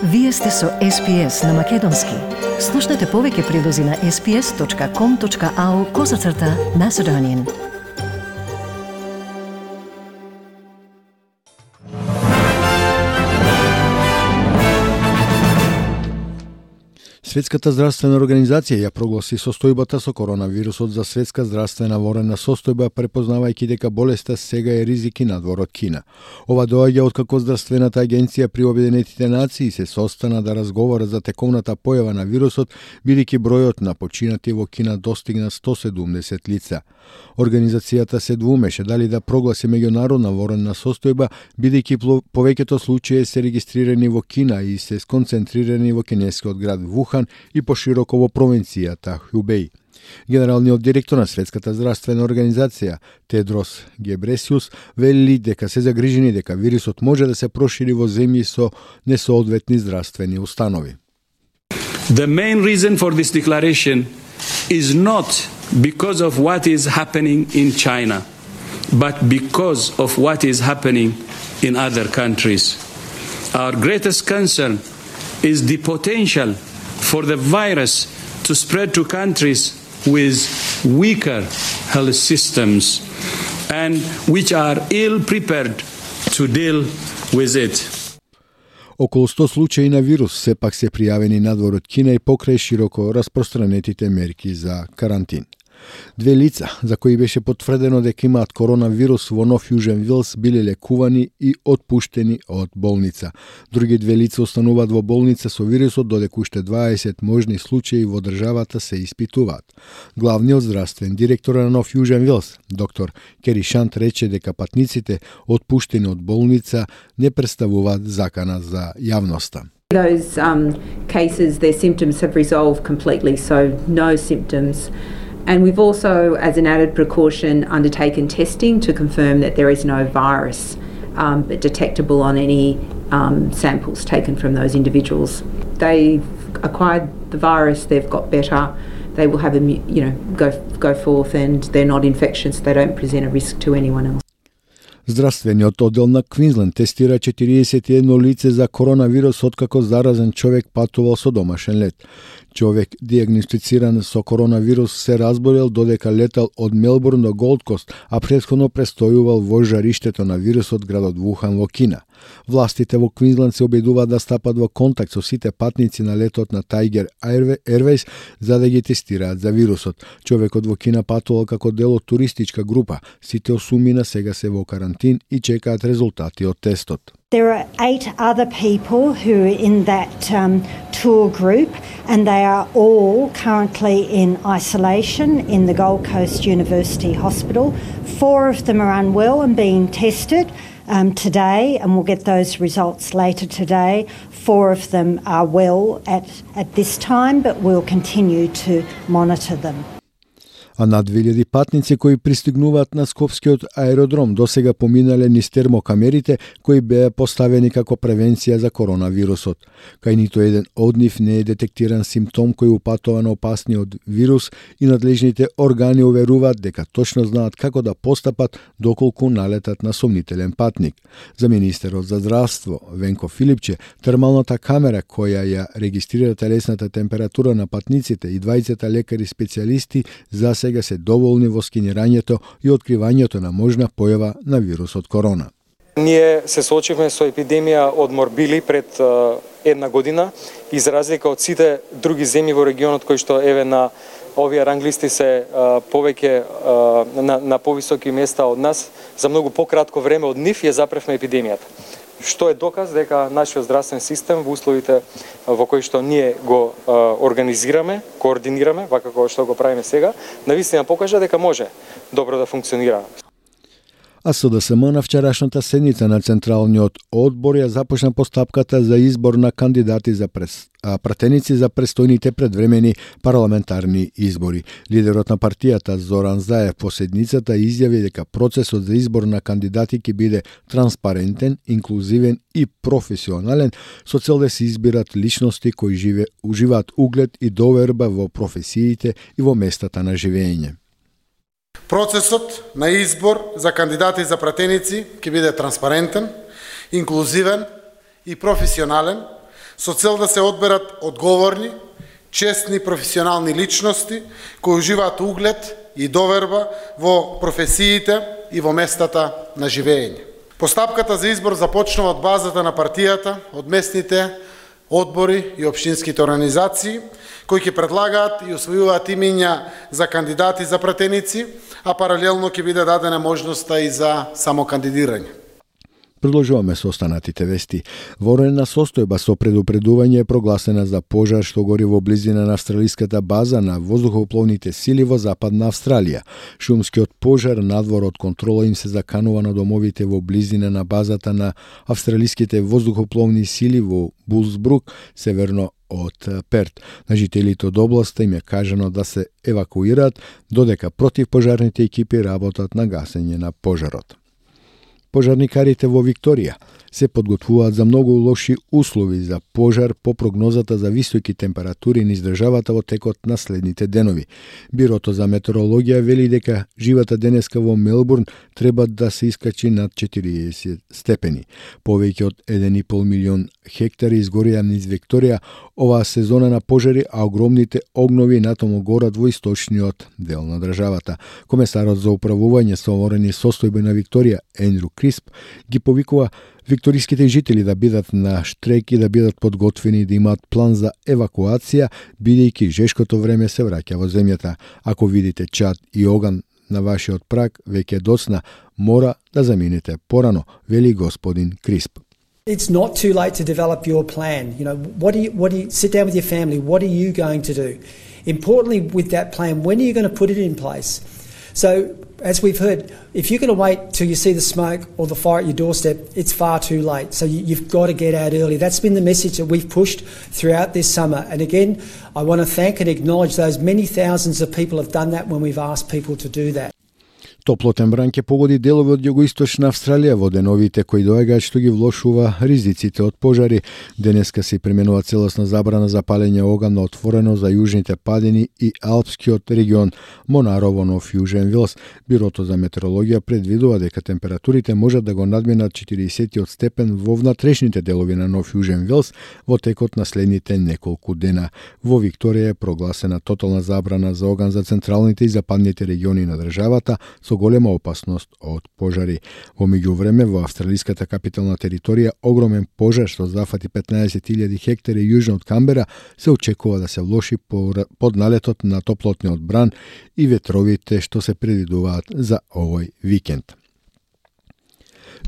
Вие сте со SPS на Македонски. Слушнете повеќе прилози на sps.com.au/Macedonian. Светската здравствена организација ја прогласи состојбата со коронавирусот за светска здравствена ворена состојба, препознавајќи дека болеста сега е ризик и надвор од Кина. Ова доаѓа откако здравствената агенција при Обединетите нации се состана да разговарат за тековната појава на вирусот, бидејќи бројот на починати во Кина достигна 170 лица. Организацијата се двумеше дали да прогласи меѓународна ворена состојба, бидејќи повеќето случаи се регистрирани во Кина и се сконцентрирани во кинескиот град Вухан и пошироко во провинцијата Хубеј. Генералниот директор на Светската здравствена организација Тедрос Гебресиус вели дека се загрижени дека вирусот може да се прошири во земји со несоодветни здравствени установи. The main reason for this declaration is not because of what is happening in China, but because of what is happening in other countries. Our greatest concern is the potential for the virus to spread to countries with weaker health systems and which are ill prepared to deal with it. Околу 100 случаи на вирус сепак се пријавени надвор од Кина и покрај широко распространетите мерки за карантин. Две лица, за кои беше потврдено дека имаат коронавирус во Нов Јужен Вилс, биле лекувани и отпуштени од болница. Други две лица остануваат во болница со вирусот, додека уште 20 можни случаи во државата се испитуваат. Главниот здравствен директор на Нов Јужен Вилс, доктор Кери Шант, рече дека патниците отпуштени од болница не представуваат закана за јавноста. Those cases, their symptoms have resolved completely, so no symptoms. And we've also, as an added precaution, undertaken testing to confirm that there is no virus detectable on any samples taken from those individuals. They've acquired the virus, they've got better, they will have go forth and they're not infectious, they don't present a risk to anyone else. Здравствениот оддел на Квинсленд тестира 41 лице за коронавирус откако заразен човек патувал со домашен лет. Човек диагностициран со коронавирус се разболел додека летал од Мелбурн до Голд Кост, а претходно престојувал во жариштето на вирусот градот Вухан во Кина. Властите во Квинсленд се обидуваат да стапат во контакт со сите патници на летот на Tiger Airways за да ги тестираат за вирусот. Човекот во Кина патувал како дел од туристичка група. Сите осумина сега се во карантин и чекаат резултати од тестот. There are 8 other people who are in that tour group, and they are all currently in isolation in the Gold Coast University Hospital. 4 of them are unwell and being tested today, and we'll get those results later today. 4 of them are well at this time, but we'll continue to monitor them. А над 2000 патници кои пристигнуваат на Скопскиот аеродром досега поминале низ термокамерите кои беа поставени како превенција за коронавирусот. Кај ниту еден од нив не е детектиран симптом кој упатува на опасниот вирус и надлежните органи уверуваат дека точно знаат како да постапат доколку налетат на сомнителен патник. За министерот за здравство Венко Филипче, термалната камера која ја регистрира телесната температура на патниците и двајцата лекари специјалисти за сега се доволни во скенирањето и откривањето на можна појава на вирусот корона. Ние се соочивме со епидемија од морбили пред една година, и за разлика од сите други земји во регионот кои што еве на овие ранглисти се повеќе на повисоки места од нас, за многу пократко време од нив ја запревме епидемијата. Што е доказ дека нашиот здравствен систем во условите во кои што ние го организираме, координираме, вака како што го правиме сега, навистина покажа дека може добро да функционира. А СДСМ на вчерашната седница на Централниот одбор ја започна постапката за избор на кандидати за пратеници за престојните предвремени парламентарни избори. Лидерот на партијата Зоран Заев по седницата изјави дека процесот за избор на кандидати ќе биде транспарентен, инклузивен и професионален, со цел да се избират личности кои уживаат углед и доверба во професиите и во местата на живење. Процесот на избор за кандидати за пратеници ќе биде транспарентен, инклузивен и професионален, со цел да се одберат одговорни, честни професионални личности кои уживаат углед и доверба во професиите и во местата на живење. Постапката за избор започнува од базата на партијата, од местните одбори и општинските организации, кои ќе предлагаат и усвојуваат имиња за кандидати за пратеници, а паралелно ќе биде дадена можноста и за самокандидирање. Продолжуваме со останатите вести. Ворена состојба со предупредување е прогласена за пожар што гори во близина на австралиската база на воздухопловните сили во Западна Австралија. Шумскиот пожар надвор од контрола им се заканува на домовите во близина на базата на австралиските воздухопловни сили во Булсбрук, северно од Перт. На жителите од областа им е кажано да се евакуираат, додека противпожарните екипи работат на гасење на пожарот. Пожарникарите во Викторија се подготвуваат за многу лоши услови за пожар по прогнозата за високи температури низ државата во текот на следните денови. Бирото за метеорологија вели дека живата денеска во Мелбурн треба да се искачи над 40 степени. Повеќе од 1,5 милион хектари изгорија низ Викторија оваа сезона на пожари, а огромните огнови натаму горат во источниот дел на државата. Комесарот за управување со ворени состојби на Викторија, Ендрю Крисп, ги повикува викториските жители да бидат на штрек и да бидат подготвени да имаат план за евакуација, бидејќи жешкото време се враќа во земјата. Ако видите чад и оган на вашиот праг, веќе доцна, мора да заминете порано, вели господин Крисп. It's not too late to develop your plan. You know, what do you sit down with your family? What are you going to do? Importantly, with that plan, when are you going to put it in place? So, as we've heard, if you're going to wait till you see the smoke or the fire at your doorstep, it's far too late. So you've got to get out early. That's been the message that we've pushed throughout this summer. And again, I want to thank and acknowledge those many thousands of people have done that when we've asked people to do that. Топлотен бран ќе погоди делови од југоисточна Австралија во деновите кои доаѓаат, што ги влошува ризиците од пожари. Денеска се применува целосна забрана за палење оган на отворено за јужните падини и алпскиот регион Монарово, Нов Јужен Велс. Бирото за метеорологија предвидува дека температурите можат да го надминат 40 степен во внатрешните делови на Нов Јужен Велс во текот на следните неколку дена. Во Викторија е прогласена тотална забрана за оган за централните и западните региони на државата со голема опасност од пожари. Во меѓувреме, во австралиската капитална територија огромен пожар што зафати 15.000 хектари јужно од Камбера се очекува да се влоши под налетот на топлотниот бран и ветровите што се предвидуваат за овој викенд.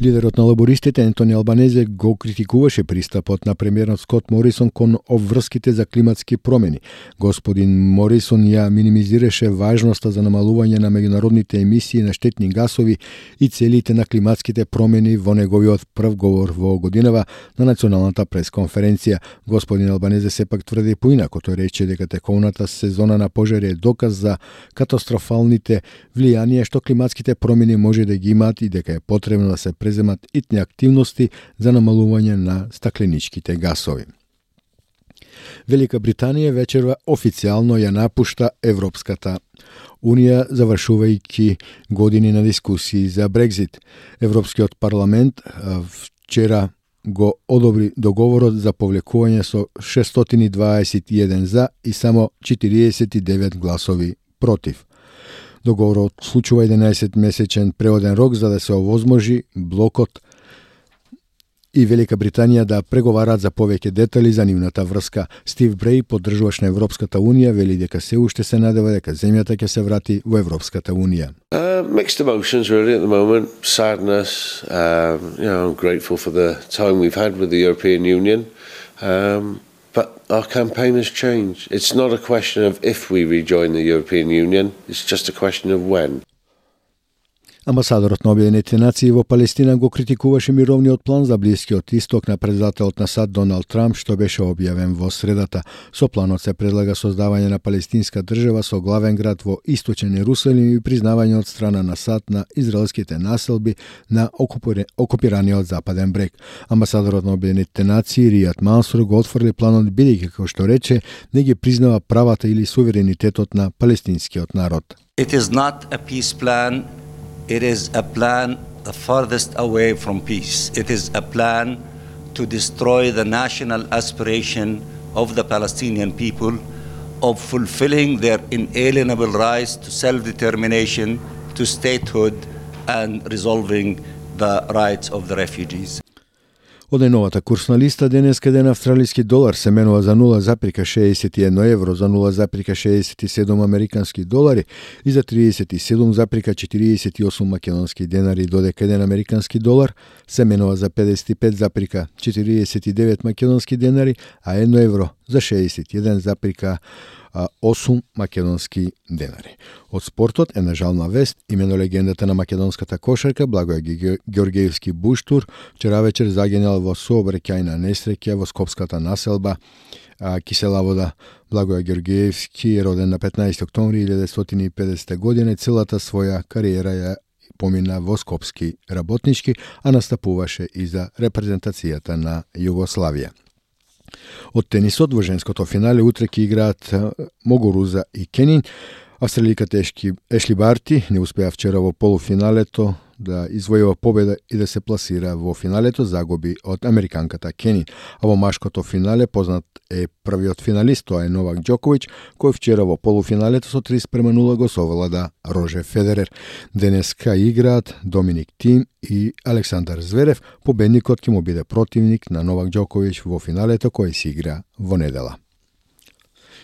Лидерот на лабористите Ентони Албанезе го критикуваше пристапот на премиерот Скот Морисон кон обврските за климатски промени. Господин Морисон ја минимизираше важноста за намалување на меѓународните емисии на штетни гасови и целите на климатските промени во неговиот прв говор во годинава на националната пресконференција. Господин Албанезе сепак тврди поинако. Тој рече дека тековната сезона на пожари е доказ за катастрофалните влијанија што климатските промени може да ги имаат и дека е потребно да се преземат итни активности за намалување на стакленичките гасови. Велика Британија вечерва официјално ја напушта Европската Унија, завршувајќи години на дискусии за Брекзит. Европскиот парламент вчера го одобри договорот за повлекување со 621 за и само 49 гласови против. Договорот случува 11-месечен преоден рок за да се овозможи блокот и Велика Британија да преговараат за повеќе детали за нивната врска. Стив Бреј, поддржуваш на Европската Унија, вели дека се уште се надева дека земјата ќе се врати во Европската Унија. Mixed emotions really at the moment. Sadness, I'm grateful for the time we've had with the European Union. But our campaign has changed. It's not a question of if we rejoin the European Union, it's just a question of when. Амбасадорот на Обединетите нации во Палестина го критикуваше мировниот план за Блискиот Исток на председателот на САД Доналд Трамп, што беше објавен во средата. Со планот се предлага создавање на палестинска држава со главен град во Источен Ерусалим и признавање од страна на САД на израелските населби на окупираниот Западен брег. Амбасадорот на Обединетите нации Ријад Мансур го отфрли планот бидејќи, како што рече, не ги признава правата или суверенитетот на палестинскиот народ. It is not a peace plan. It is a plan the farthest away from peace. It is a plan to destroy the national aspiration of the Palestinian people of fulfilling their inalienable rights to self-determination, to statehood, and resolving the rights of the refugees. Од најновата курсна листа, денеска еден австралиски долар се менува за 0,61 евро, за 0,67 американски долари и за 37,48 македонски денари, додека еден американски долар се менува за 55,49 македонски денари, а 1 евро за 61,8 македонски денари. Од спортот една жална вест, имено легендата на македонската кошарка Благоја Ѓорѓеевски буштур вчера вечер загинал во сообраќајна несреќа во скопската населба Кисела вода. Благоја Ѓорѓеевски е роден на 15 октомври 1950 година и целата своја кариера ја помина во скопски работнички, а настапуваше и за репрезентацијата на Југославија. Од тенисот во женското финале утре ќе играат Могоруза и Кенин. Австраликата Ешли Барти не успеа вчера во полуфиналето да извојува победа и да се пласира во финалето, загуби од американката Кенин. А во машкото финале познат е првиот финалист, тоа е Новак Ѓоковиќ, кој вчера во полуфиналето со 30:0 го совлада Рожер Федерер. Денеска играат Доминик Тим и Александар Зверев. Победникот ќе му биде противник на Новак Ѓоковиќ во финалето кој се игра во недела.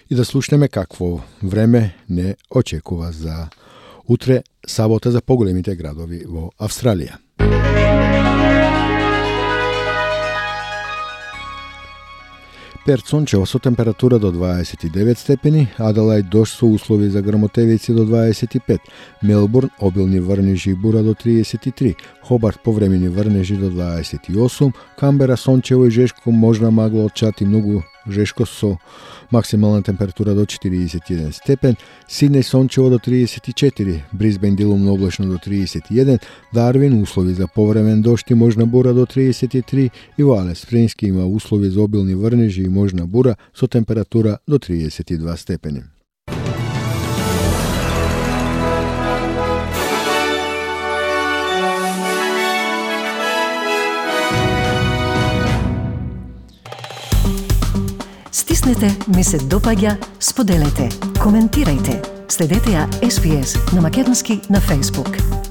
И да слушнеме какво време не очекува за утре, сабота, за поголемите градови во Австралија. Перт сончево со температура до 29 степени, Аделајд дожд со услови за грмотевици до 25, Мелбурн обилни врнежи и бура до 33, Хобарт повремени врнежи до 28, Камбера сончево и жешко, можна магла од чат и многу жешко со максимална температура до 41 степен, Сиднеј сончево до 34, Брисбен делумно облачно до 31, Дарвин услови за повремен дожд и можна бура до 33 и во Алис Спрингс има услови за обилни врнежи и можна бура со температура до 32 степени. Стиснете, ми се допаѓа, споделете, коментирајте. Следете ја SPS на македонски на Facebook.